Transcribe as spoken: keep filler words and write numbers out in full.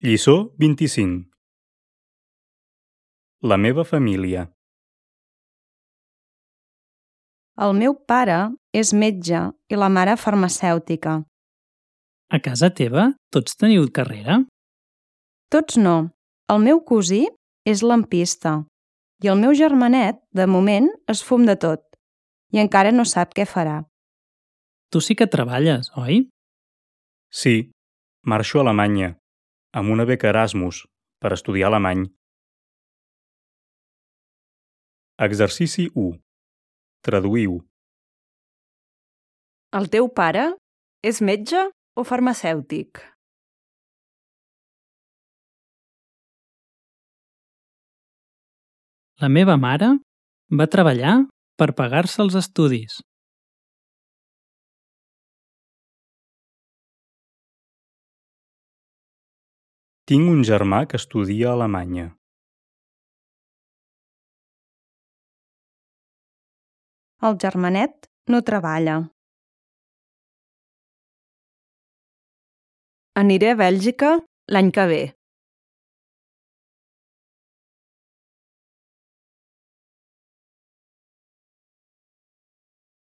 Lliçó vint-i-cinc. La meva família. El meu pare és metge i la mare farmacèutica. A casa teva tots teniu carrera? Tots no. El meu cosí és lampista i el meu germanet, de moment, es fum de tot i encara no sap què farà. Tu sí que treballes, oi? Sí, marxo a Alemanya, amb una beca Erasmus, per estudiar alemany. Exercici u. Traduïu. El teu pare és metge o farmacèutic? La meva mare va treballar per pagar-se els estudis. Tinc un germà que estudia a Alemanya. El germanet no treballa. Aniré a Bèlgica l'any que ve.